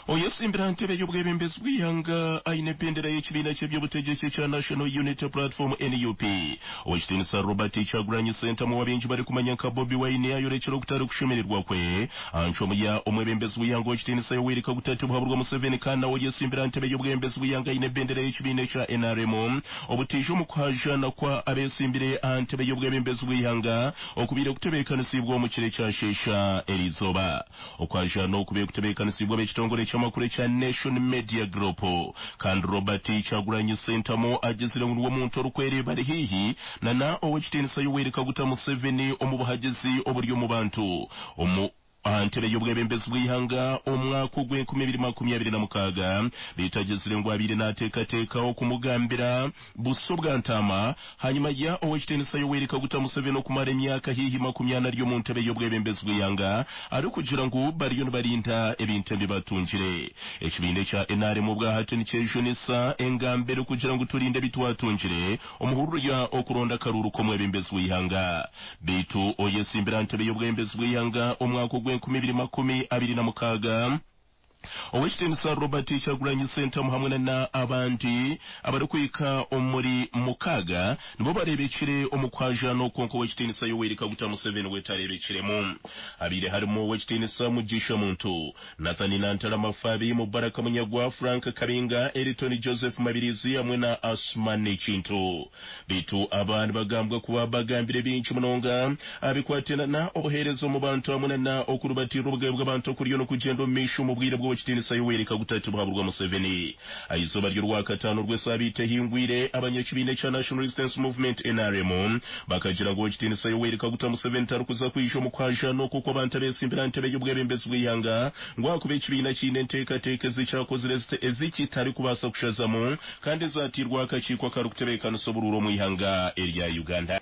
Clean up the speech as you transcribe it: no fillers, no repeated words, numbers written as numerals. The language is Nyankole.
Oyesimbira aha ntebe y'obwebembezi bw'eihanga aine ebendera y'ekibiina ky'eby'obutegyeki ekya National Unity Platform, NUP, Ow'ekitiinisa Robert Kyagulanyi Ssentamu ou abaingi barikumanya nka Bobi Wine ayorekire okutarikushemererwa kwe aha ncwamu ya omwebembezi w'eihanga Ow'ekitiinisa Yoweri Kaguta Tibuhaburwa Museveni kandi nawe oyesimbira aha ntebe y'obwebembezi bw'eihanga aine ebendera y'ekibiina ekya NRM obutaija omu kuhajaana kwa abeesimbire aha ntebe y'obwebembezi bw'eihanga okubaire kutebeekanisiibwe omu kiro ekyasheesha eriizooba. Okwajaana oku kutebeekanisiibwe ab'ekitongore ky'amakuru ekya Nation Media Group. Kandi Robert Kyagulanyi Ssentamu agizire ngu niwe muntu orikwereeba ari haihi na na Ow'ekitiinisa Yoweri Kaguta Museveni omu buhagizi oburi omu bantu omu aha ntebe y'obwebembezi bw'eihanga omwaka ogw'enkumi ibiri makumi abiri na mukaaga beitu agizire ngu abaire naateekateeka okumugambira buso bwa ntaama hanyima ya Ow'ekitiinisa Yoweri Kaguta Museveni okumara emyaka haihi 40 ari omu ntebe y'obwebembezi bw'eihanga arikugira ngu bariyo nibarinda ebintu ebi batungire. Ekibiina ekya NRM obwahati nikyejunisa engamba erikugira ngu turinde ebi twatungire omu hururu ya okuronda akaruuru k'omwebembezi w'eihanga. Beitu oyesimbire aha ntebe y'obwebembezi bw'eihanga omwaka ogw'enkumi ibiri 26, Ow'ekitiinisa Robert Kyagulanyi Ssentamu hamwe na na abandi abarikuhika omuri mukaaga nibo bareebekire omu kuhajaana okwo kwonka Ow'ekitiinisa Yoweri Kaguta Museveni we tareebekiremu. Habaire harimu Ow'ekitiinisa Mugisha Muntu, Nathan Nantala Mafabi, Mubaraka Munyagwa, Frank Kabinga, Eriton Joseph Mabirizi hamwe na Asuman Kintu. Beitu aba nibagambwa kuba bagambire bingi munonga aha bikwatiraine na obuheereza omu bantu hamwe na na okurubatiirira obugabe bw'abantu okuriyo nikugyenda omu maisho omu bwire bw'Owekitiinisa Yoweri Kaguta Tibuhaburwa Museveni. Aha izooba ry'Orwakataano orw'esaabiiti ehingwire, abanyakibiina ekya National Resistance Movement, nrm, bakagira ngu Owekitiinisa Yoweri Kaguta Museveni tarikuza kwija omu kuhajaana oku okw'abantu abeesimbire aha ntebe y'obwebembezi bw'eihanga ngu ahakuba ekibiina kiine enteekateeka ezikyakozire ezikitarikubaasa kushazamu kandi ezaatairweho akakiiko akarikutebeekanisa oburuuru omu ihanga erya Uganda.